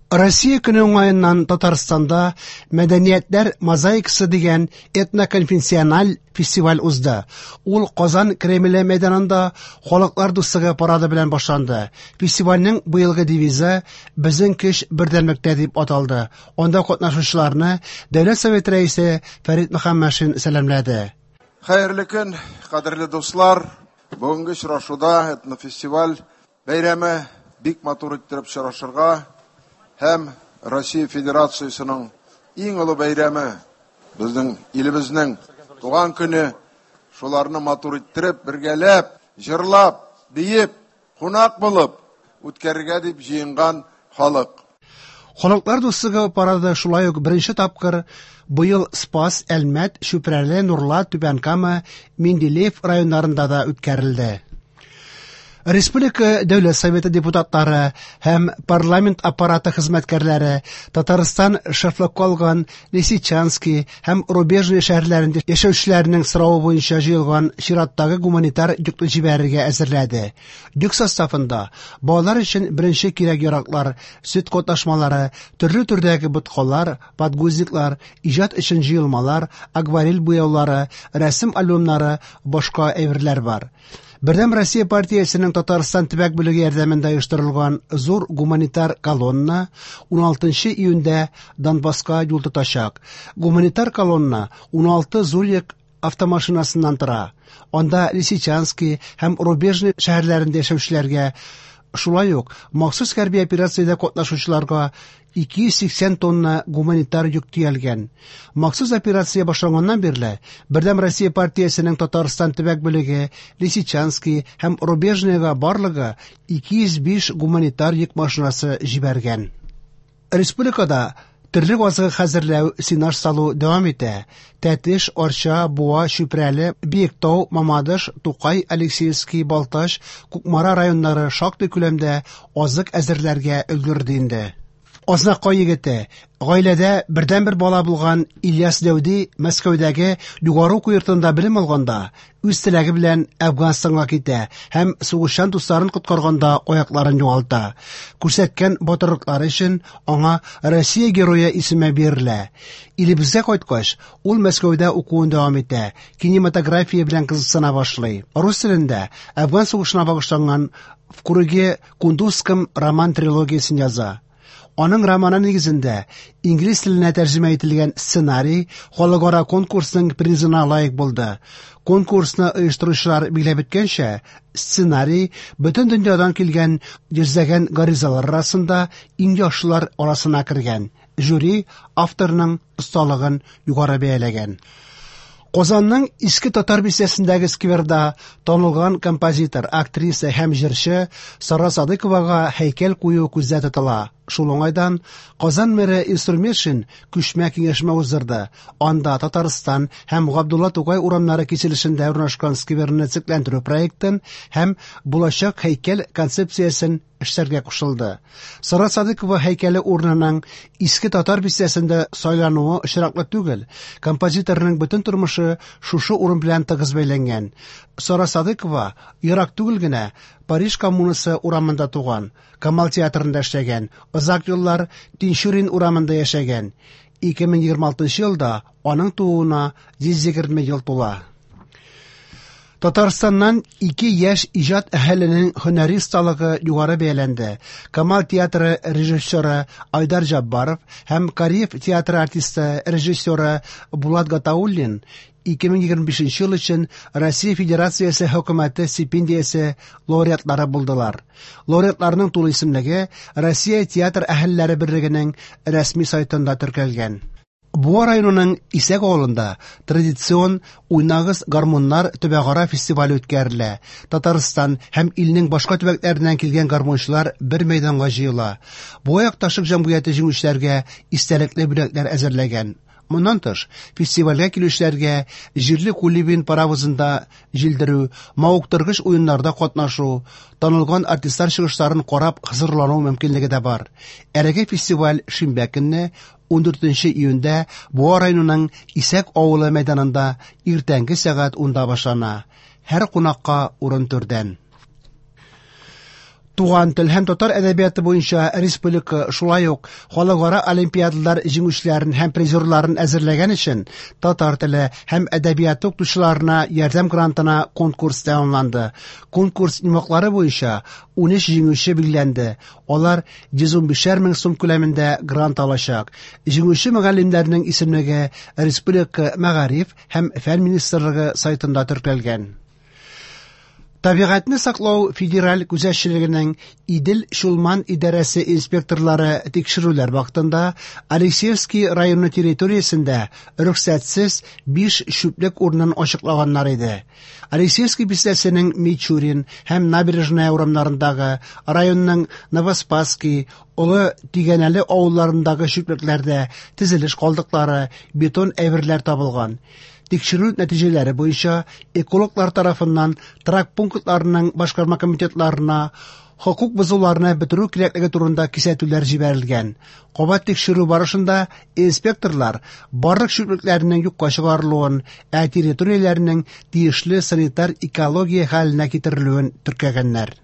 Россия көне уңаеннан Татарстанда Мәдәниятләр мозаикасы дигән этноконфессиональ фестиваль узды. Ул Казан Кремле мәйданында Халыклар дуслыгы парады белән башланды. Фестивальнең быелгы девизы «Безнең көч бердәмлектә» дип аталды. Анда катнашучыларны Дәүләт Советы Рәисе Фәрит Мөхәммәтшин сәламләде. Хәерле көн, кадерле дуслар! Бүгенге очрашуда этнофестиваль бәйрәме бик матур иттереп очрашырга һәм Россия Федерациясенең иң олы бәйрәме, безнең илебезнең туган көне, шуларны матур иттереп, бергәләп, җырлап, биеп, кунак булып үткәрергә дип җыенган халык. Халыклар дуслыгы парады шулай ук беренче тапкыр быел Спас, Әлмәт, Чүпрәле, Нурлат, Түбән Кама, Менделеев районнарында да үткәрелде. Республика Дәүләт Советы депутатлары һәм парламент аппараты хезмәткәрләре Татарстан шефлыкка алган Лисичанский һәм Рубежный шәһәрләрендә яшәүчеләрнең соравы буенча җыелган чираттагы гуманитар йөкне җибәрергә әзерләде. Йөк составында балалар өчен беренче кирәк-яраклар, сөт катнашмалары, төрле төрдәге боткалар, подгузниклар, иҗат өчен җыелмалар, акварель буяулары, рәсем альбомнары, башка әйберләр бар. Бердәм Россия партиясенең Татарстан төбәк бүлеге ярдәмендә оештырылган зур гуманитар колонна 16 июньдә Донбасска юл тотачак. Гуманитар колонна 16 зур йөк автомашинасыннан тора. Анда Лисичанский һәм Рубежный шәһәрләрендә яшәүчеләргә, шулай ук махсус хәрби операциядә катнашучыларга 280 тонна гуманитар йөк төялгән. Махсус операция башланганнан бирле Бердәм Россия партиясенең Татарстан төбәк бүлеге Лисичанский һәм Рубежныйга барлыгы 205 гуманитар йөк машинасы җибәргән. Республикада терлек азыгы хәзерләү, сенаж салу дәвам итә. Тәтеш, Арча, Буа, Чүпрәле, Биектау, Мамадыш, Тукай, Алексеевский, Балтач, Кукмара районнары шактый күләмдә азык әзерләргә өлгерде инде. Азнакай егете, гаиләдә бердәнбер бала булган Ильяс Дәүди Мәскәүдәге югары уку йортында белем алганда үз теләге белән Әфганстанга китә һәм сугышчан дусларын коткарганда аякларын югалта. Күрсәткән батырлыклары өчен аңа Россия Герое исеме бирелә. Илебезгә кайткач, ул Мәскәүдә укуын дәвам итә, кинематография белән кызыксына башлый. Рус телендә Әфган сугышына багышланган В круге Кундузском роман трилогиясен яза. Аның романы нигезендә инглиз теленә тәрҗемә ителгән сценарий халыкара конкурсның призына лаек булды. Конкурсны оештыручылар билгеләп үткәнчә, сценарий бөтен дөньядан килгән йөзләгән гаризалар арасында иң яхшылар арасына кергән. Жюри авторның осталыгын югары бәяләгән. Казанның Иске Татар бистәсендәге скверда танылган композитор, актриса һәм җырчы Сара Садыковага һәйкәл кую күздә тотыла. Шул уңайдан Казан мэры Илсур Метшин күчмә киңәшмә уздырды. Анда Татарстан һәм Габдулла Тукай урамнары киселешендә урнашкан скверны төзекләндерү проектын һәм булачак һәйкәл концепциясен эшләргә кушылды. Сара Садыкова һәйкәле урынының Иске Татар бистәсендә сайлануы очраклы түгел. Композиторның бөтен тормышы шушы урын белән тыгыз бәйләнгән. Сара Садыкова ерак түгел генә Париж коммунасы урамында туган, Камал театрында эшләгән, озак еллар Тинчурин урамында яшәгән. 2026 елда аның тууына 120 ел тула. Татарстаннан ике яшь иҗат әһеленең һөнәри осталыгы югары бәяләнде. Камал театры режиссеры Айдар Җаббаров һәм Кариев театры артисты режиссеры Булат Гатауллин 2025 ел өчен Россия Федерациясе хөкүмәте стипендиясе лауреатлары булдылар. Лауреатларның тулы исемлеге Россия театр әһелләре берлегенең рәсми сайтында теркәлгән. Буа районының Исәк авылында традицион Уйнагыз гармуннар төбәкара фестивале үткәрелә. Татарстан һәм илнең башка төбәкләреннән килгән гармунчылар бер мәйданга җыела. Буа якташлык җәмгыяте җиңүчеләргә истәлекле бүләкләр әзерләгән. Моннан тыш, фестивальгә килүчеләргә җирле Кулибин паровозында җилдерү, мавыктыргыч уеннарда катнашу, танылган артистлар чыгышларын карап хозурлану мөмкинлеге дә бар. Әлеге фестиваль шимбә көнне 14 июньдә Буа районының Исәк авылы мәйданында иртәнге сәгать 10-да башлана. Һәр кунакка урын түрдән. Туган тел һәм татар әдәбияты буенча республика, шулай ук халыкара олимпиадалар җиңүчеләрен һәм призерларын әзерләгән өчен татар теле һәм әдәбияты укытучыларына ярдәм грантына конкурс тәмамланды. Конкурс йомгаклары буенча 13 җиңүче билгеләнде. Алар 115 мең сум күләмендә грант алачак. Җиңүче мөгаллимнәрнең исемлеге республика Мәгариф һәм фән министрлыгы сайтында теркәлгән. Табигатьне саклау федераль күзәтчелегенең Идел-Чулман идарәсе инспекторлары тикшерүләр вакытында Алексеевский районы территориясендә рөхсәтсез 5 чүплек урынын ачыклаганнар иде. Алексеевский бистәсенең Мичурин һәм Набережная урамнарындагы, районның Новоспасский, Олы Тигәнәле авылларындагы чүплекләрдә төзелеш калдыклары, бетон әйберләр табылган. Тикшерү нәтиҗәләре буенча экологлар тарафыннан торак пунктларының башкарма комитетларына хокук бозуларны бетерү кирәклеге турында кисәтүләр җибәрелгән. Кабат тикшерү барышында инспекторлар барлык чүплекләрнең юкка чыгарылуын, ә территорияләрнең тиешле санитар-экология хәленә китерелүен теркәгәннәр.